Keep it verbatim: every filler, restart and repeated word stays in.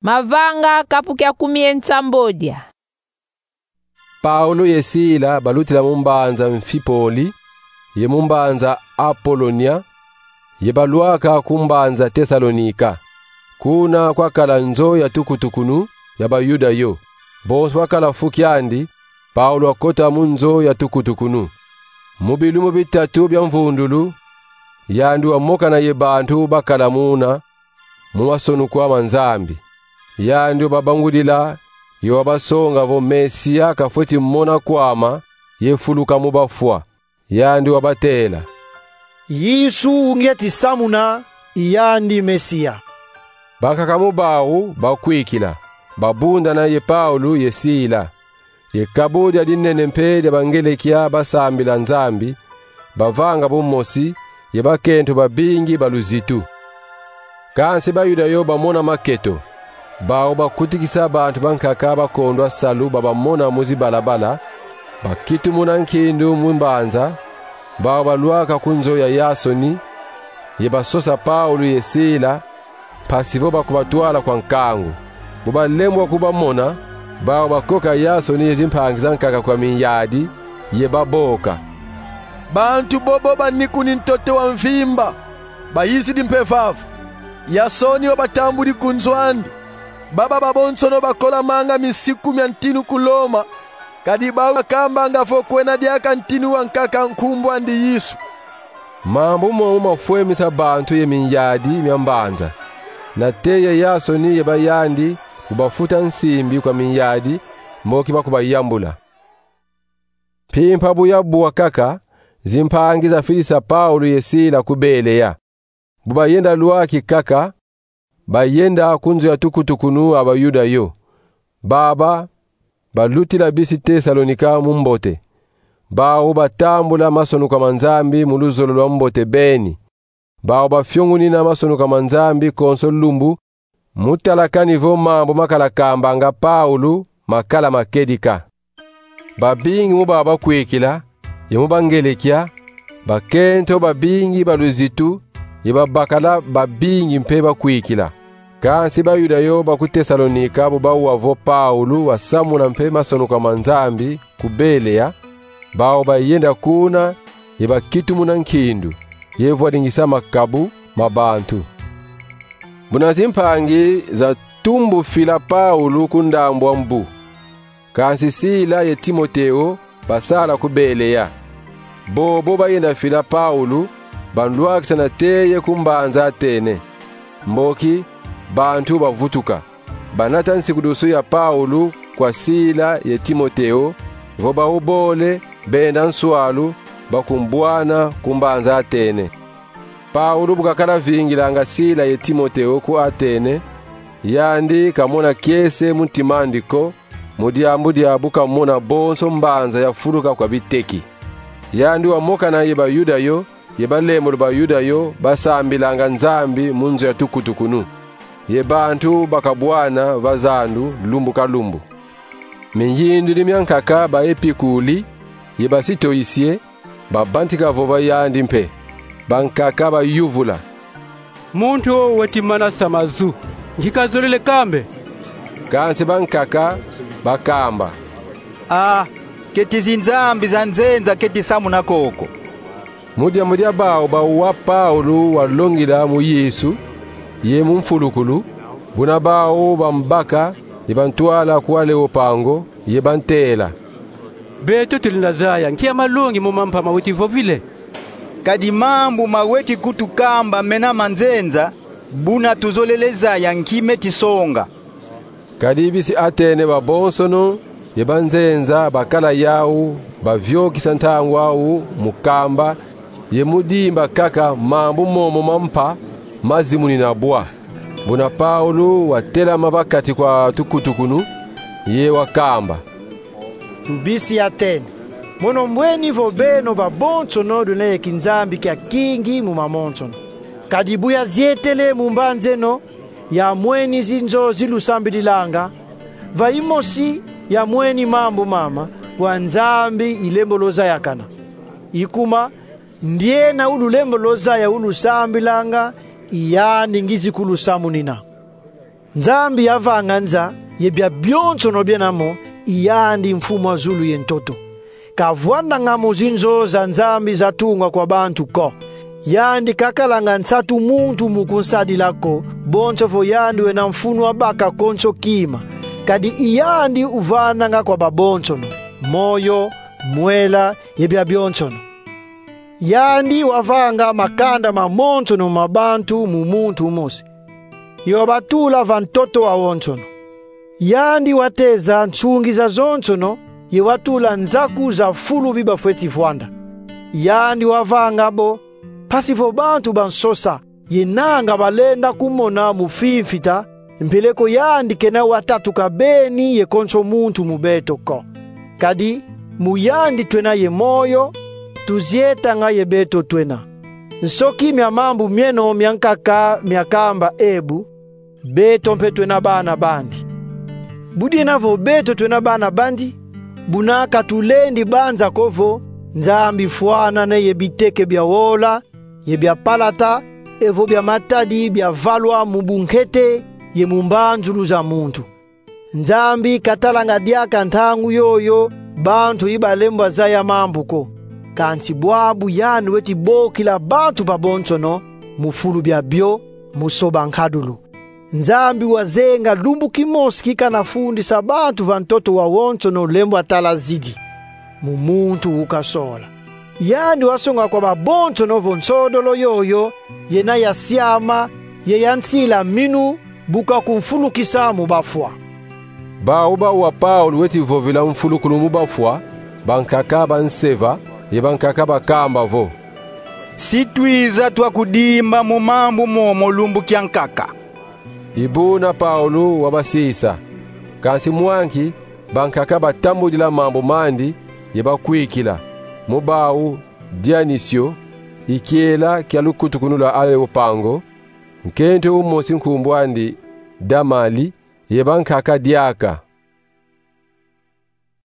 Mavanga kapu kia kumi ye nsambodia. Paulo ye Sila balutila mu mbanza Amfipoli ye mu mbanza Apolonia, ye balwaka ku mbanza Tesalonika. Kuna kwakala nzo ya tukutukunu ya Bayuda yo. Bonso bakala fu kiandi, Paulo wakota mu nzo ya tukutukunu. Mu bilumbu bitatu bya mvundulu, yandi wamokana ye bantu bakala muna mu masonuka ma Nzambi. Yandi wababangudila, ye wabasonga vo Mesia kafweti mona kwama ye fuluka mu bafwa. Yandi wabatela: Yesu wu ngieti samuna, i yandi Mesia. Bankaka mu bau bakwikila, babundana ye Paulo ye Sila. Ye kabu dia dinene mpe dia bangelekya basambila Nzambi, bavanga bu mosi, ye bakento babingi ba luzitu. Kansi Bayuda yo bamona maketo, bau bakutikisa bantu bankaka bakondwa salu babamona mu zibalabala, bakitumuna nkindu mu mbanza, bau balwaka ku nzo ya Yasoni, ye basosa Paulo ye Sila, mpasi vo bakubatwala kwa nkangu. Bu balembwa kubamona, bau bakoka Yasoni ye zimpangi zankaka kwa minyadi, ye baboka: Bantu bobo banikuni ntoto wa mvimba, bayizidi mpe vava. Yasoni wabatambudi ku nzo andi. Baba babonsono bakolamanga misiku mya ntinu ku Loma, kadi bau bakambanga vo kwena diaka ntinu wankaka nkumbu andi Yesu. Mambu momo mafwemisa bantu ye minyadi mya mbanza. Nate ye Yasoni ye bayandi kubafuta nsimbi kwa minyadi, mboki bakubayambula. Mpimpa bu yabwa kaka, zimpangi zafidisa Paulo ye Sila ku Belea. Bu bayenda lwaki kaka, bayenda ku nzo ya tukutukunu a Bayuda yo. Baba balutila bisi Tesalonika mu mbote. Bau batambula masonuka ma Nzambi mu luzolo lwa mbote beni. Bau bafiongunina masonuka ma Nzambi konso lumbu, mu tala kani vo mambu makala kambanga Paulo makala ma kedika. Babingi mu bau bakwikila, ye mu bangelekya, bakento babingi ba luzitu, ye babakala babingi mpe bakwikila. Kansi Bayuda yo ba ku Tesalonika bu bawa vo Paulo wasamuna mpe masonuka ma Nzambi ku Belea, bau bayenda kuna, ye bakitumuna nkindu, ye vwadingisa makabu ma bantu. Buna zimpangi zatumbufila Paulo ku ndambu a mbu. Kansi Sila ye Timoteo basala ku Belea. Bobo bayenda fila Paulo, banlwakisa nate ye ku mbanza Atene. Mboki bantu bavutuka, banata nsikidusu ya Paulo kwa Sila ye Timoteo, vo bau bole benda nswalu, bakumbwana ku mbanza Atene. Paulo bu kakala vingilanga Sila ye Timoteo ku Atene, yandi kamona kiese mu ntima andi ko, mu diambu dia bu kamona bonso mbanza yafuluka kwa biteki. Yandi wamokana ye Bayuda yo, ye balembolo Bayuda yo basambilanga Nzambi mu nzo ya tukutukunu. Ye bantu bakabwana va zandu lumbu ka lumbu. Miyindudi mya nkaka ba Epikuli ye ba Sitoisie babantika vova yandi mpe. Bankaka bayuvula: Muntu wo weti manasa mazu, nki kazolele kambe? Kansi bankaka bakamba: A, keti zinzambi za nzenza keti samuna koko. Mu diambu dia bau bawa Paulo walongila mu Yesu ye mu mfulukulu, buna bau bambaka ye bantwala ku Aleopango, ye bantela: Beto tulenda zaya nki ya malongi mo mampa maweti vovile? Kadi mambu maweti kutukamba mena ma nzenza, buna tuzolele zaya nki meti songa. Kadi bisi Atene babonsono ye banzenza bakala yau baviokisa ntangu au mu kamba ye mu dimba kaka mambu momo mampa mazimunina bwa. Buna Paulo watelama va kati kwa tukutukunu, ye wakamba: Tubisi Atene, mono mbweni vo beno babonsono lwena ye kinzambi kia kingi mu mamonsono. Kadi bu yazietele mu mbanza eno, yamweni zinzo zilusambililanga, va imosi yamweni mambu mama, wa Nzambi ilembo lwazayakana. I kuma, ndiena ululembo lwazaya ulusambilanga, i yandi ngizi kulusamunina. Nzambi yavanga nza ye bia bionsono biena mo, i yandi Mfumu a zulu ye ntoto. Kavwandanga mo zinzo za Nzambi zatunga kwa bantu ko. Yandi kakalanga nsatu muntu mu kunsadila ko, bonso vo yandi wena mfunu wa baka konso kima. Kadi i yandi uvandanga kwa babonsono moyo, mwela, ye bia bionsono. Yandi wavanga makanda mamonsono ma bantu mu muntu umosi, ye wabatula va ntoto wawonsono. Yandi wateza nsungi zazonsono, ye watula nzaku za fulu bi bafweti vwanda. Yandi wavanga bo, mpasi vo bantu bansosa, ye nanga balenda kumona mu fimfita, mpeleko yandi kena watatuka beni ye konso muntu mu beto ko. Kadi mu yandi twena ye moyo, tuzietanga ye beto twena. Nsoki mia mambu mieno miankaka miakamba ebu, beto mpe twena bana bandi. Budiena vo beto twena bana bandi, buna ka tulendi banza ko vo Nzambi fwanane ye biteke bia wola, ye bia palata, evo bia matadi biavalwa mu bunkete ye mu mbanzulu za muntu. Nzambi katalanga diaka ntangu yoyo bantu i balembwa zaya mambu ko. Kansi bwabu yandi weti bokila bantu babonsono mu fulu bia bio, mu soba nkadulu. Nzambi wazenga lumbu kimosi ki kana fundisa bantu va ntoto wawonsono lembwa tala zidi, mu muntu ukasola. Yandi wasonga kwa babonsono vo nsodolo yoyo yena ya siama, ye ya nsila minu, bu kakumfulukisa mu bafwa. Bau bawa Paulo weti vovila mfulukulu mu bafwa, bankaka banseva, ye bankaka bakamba vo: Si twiza twakudimba mu mambu momo lumbu kiankaka. I buna Paulo wabasisa. Kansi mwa nki, bankaka batambudila mambu mandi, ye bakwikila. Mu bau Dionisio, i kiela kia lukutukunu lwa Areopango, nkento umosi nkumbu andi Damali, ye bankaka diaka.